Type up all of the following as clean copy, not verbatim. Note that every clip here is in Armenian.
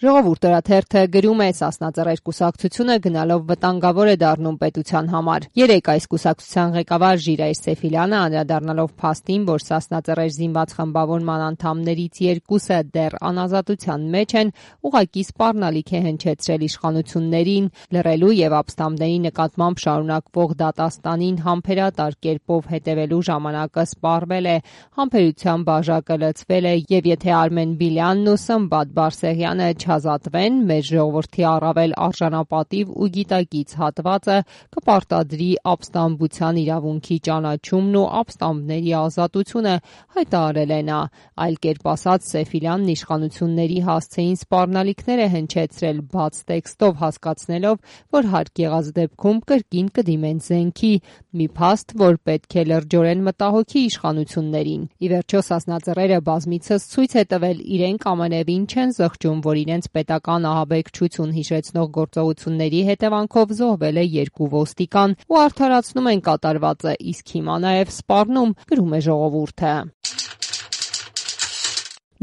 Ժողովուրդ օրաթերթը գրում է Սասնա Ծռեր կուսակցությունը գնալով վտանգավոր է դառնում պետության համար։ Երեկ այս կուսակցության ղեկավար Ժիրայր Սեֆիլյանը անդրադառնալով փաստին, որ Սասնա Ծռեր զինված խմբավորման անդամներից երկուսը դեռ անազատության մեջ են, ուղղակի սպառնալիք է հնչեցրել իշխանություններին, լռելու եւ ապստամբների նկատմամբ շարունակվող դատաստանին համբերատար կերպով հետևելու ժամանակը սպառվել է, համբերության բաժակը լցվել է եւ եթե Արմեն Բիլյանն ու Սմբատ Բարսեղյանը չազատվեն, մեր ժողովրդի առավել արժանապատիվ ու գիտակից հատվածը կպարտադրի ապստամբության իրավունքի ճանաչումն ու ապստամբների ազատությունը, հայտարարել է նա։ Այլ կերպ ասած, Սեֆիլյանն իշխանությունների հասցեին սպառնալիքներ է հնչեցրել բաց տեքստով, հասկացնելով, որ հարկ եղած դեպքում կրկին կդիմեն զենքի, մի փաստ, որ պետք է լրջորեն մտահոգի իշխանություններին։ Ի վերջո Սասնա Ծռերը բազմիցս ցույց է տվել իրենք ամենևին չեն զղջում, որ իրենց պետական ահաբեկչություն հիշեցնող գործողությունների հետևանքով զոհվել է 2 ոստիկան ու արդարացնում են կատարվածը, իսկ հիմա նաև սպառնում, գրում է ժողովուրդը։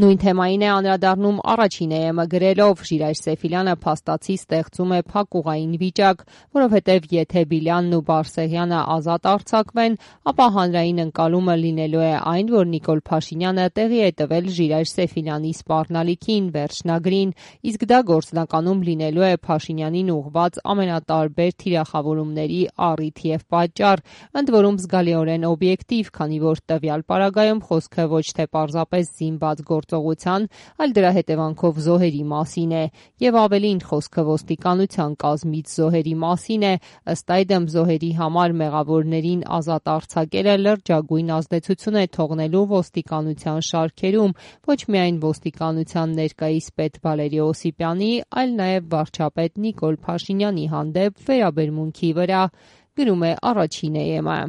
Նույն թեմային է անդրադառնում Առաջին EM-ը գրելով. Ժիրայր Սեֆիլյանը փաստացի ստեղծում է փակուղային վիճակ, որովհետև եթե Բիլյանն ու Բարսեղյանը ազատ արձակվեն, ապա հանրային ընկալումը լինելու է այն, որ Նիկոլ Փաշինյանը տեղի է տվել Ժիրայր Սեֆիլյանի սպառնալիքին, վերջնագրին, իսկ դա գործնականում լինելու է Փաշինյանին ուղղված ամենատարբեր թիրախավորումների առիթ եւ պատճառ, ընդ որում զգալիորեն օբյեկտիվ, քանի որ տվյալ պարագայում խոսքը ոչ թե պարզապես զինված գործողության, այլ դրա հետևանքով զոհերի մասին է, եւ ավելին խոսքը ոստիկանության կազմից զոհերի մասին է, ըստ այդմ զոհերի համար մեղավորներին ազատ արձակելը լրջագույն ազդեցություն է թողնելու ոստիկանության շարքերում, ոչ միայն ոստիկանության ներկայիս պետ Վալերի Օսիպյանի, այլ նաեւ վարչապետ Նիկոլ Փաշինյանի հանդեպ վերաբերմունքի վրա, գրում է Առաջին EM-ը։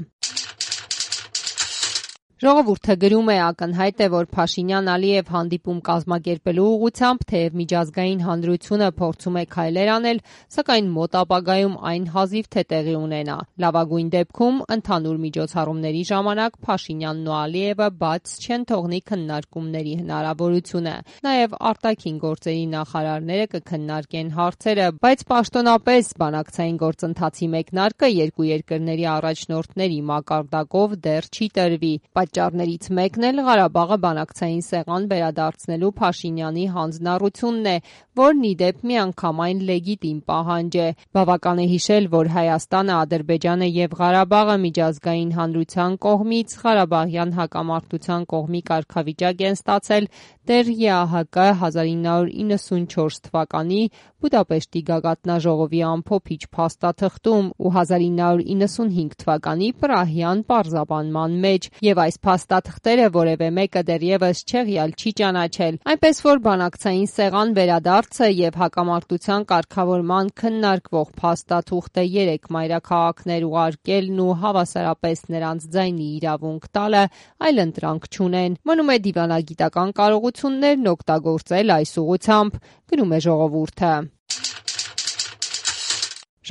Ժողովուրդը գրում է. ակնհայտ է, որ Փաշինյան-Ալիև հանդիպում կազմակերպելու ուղղությամբ թեև միջազգային հանրությունը փորձում է քայլեր անել, սակայն մոտ ապագայում այն հազիվ թե տեղի ունենա։ Լավագույն դեպքում ընդհանուր միջոցառումների ժամանակ Փաշինյանն ու Ալիևը բաց չեն թողնի քննարկումների հնարավորությունը։ Նաև արտաքին գործերի նախարարները կքննարկեն հարցերը, բայց պաշտոնապես բանակցային գործընթացի մեկնարկը երկու երկրների առաջնորդների մակարդակով դեռ չի տրվի։ Պատճառներից մեկն էլ Ղարաբաղը բանակցային սեղան վերադարձնելու Փաշինյանի հանձնառությունն է, որն ի դեպ միանգամայն լեգիտիմ պահանջ է։ Բավական է հիշել, որ Հայաստանը, Ադրբեջանը եւ Ղարաբաղը միջազգային հանրության կողմից Ղարաբաղյան հակամարտության կողմի կարգավիճակ են ստացել դեռ ԵԱՀԿ 1994 թվականի Բուդապեշտի գագաթնաժողովի ամփոփիչ փաստաթղթում ու 1995 թվականի Պրահյան պարզաբանման մեջ, եւ այս փաստաթղթերը որևէ մեկը դեռևս չեղյալ չի ճանաչել, այնպես որ բանակցային սեղան վերադարձը եւ հակամարտության կարգավորման քննարկվող փաստաթուղթը 3 մայրաքաղաքներ ուղարկելն ու հավասարապես նրանց ձայնի իրավունք տալը այլընտրանք չունեն։ Մնում է դիվանագիտական կարողություններն օգտագործել այս ուղղությամբ, գրում է ժողովուրդը։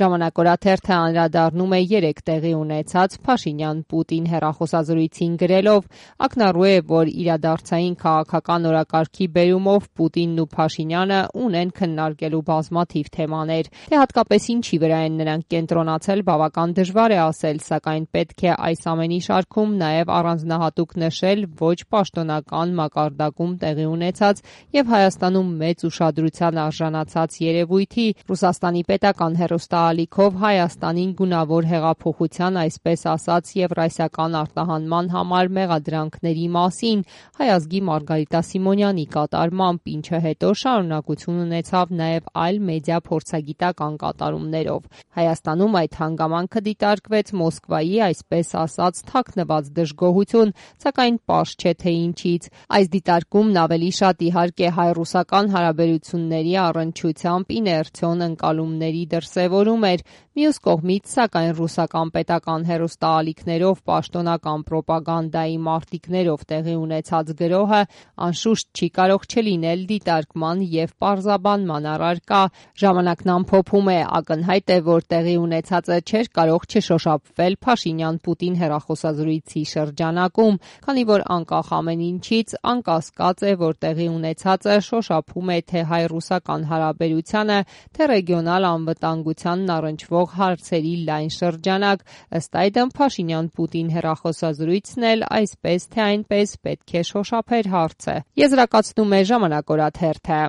Ժամանակ օրաթերթը անդրադառնում է 3 տեղի ունեցած Փաշինյան-Պուտին հեռախոսազրույցին գրելով. ակնառու է, որ իրադարձային քաղաքական օրակարգի բերումով Պուտինն ու Փաշինյանը ունեն քննարկելու բազմաթիվ թեմաներ։ Թե հատկապես ինչի վրա են նրանք կենտրոնացել, բավական դժվար է ասել, սակայն պետք է այս ամենի շարքում նաև առանձնահատուկ նշել ոչ պաշտոնական մակարդակում տեղի ունեցած եւ Հայաստանում մեծ ուշադրության արժանացած երևույթի Ռուսաստանի պետական հեռուստաալիքով Հայաստանին գունավոր հեղափոխության, այսպես ասած, եվրասիական արտահանման համար մեղադրանքների մասին Հայ ազգի Մարգարիտա Սիմոնյանի կատարմամբ, ինչը հետո շարունակություն ունեցավ նաև այլ մեդիա փորձագիտական կատարումներով։ Հայաստանում այդ հանգամանքը դիտարկվեց Մոսկվայի, այսպես ասած, թաքնված դժգոհություն, սակայն պարզ չէ թե ինչից։ Այս դիտարկումն ավելի շատ իհարկե հայ-ռուսական հարաբերությունների առնչությամբ իներցիոն ընկալումների դրսևորում արձակագրում էր, մյուս կողմից, սակայն ռուսական պետական հեռուստաալիքներով պաշտոնական պրոպագանդայի մարտիկներով տեղի ունեցած գրոհը անշուշտ չի կարող չլինել դիտարկման և պարզաբանման առարկա։ Ժամանակն ամփոփում է. ակնհայտ է, որ տեղի ունեցածը չէր կարող չշոշափվել Փաշինյան-Պուտին հեռախոսազրույցի շրջանակում, քանի որ անկախ ամեն ինչից անկասկած է, որ տեղի ունեցածը շոշափում է թե հայ-ռուսական հարաբերությանը, թե ռեգիոնալ անվտանգությանն առնչվող հարցերի լայն շրջանակ։ Ըստ այդմ, Փաշինյան-Պուտին հեռախոսազրույցն էլ այսպես թե այնպես պետք է շոշափեր հարցը։ Եզրակացնում է «Ժամանակ» օրաթերթը։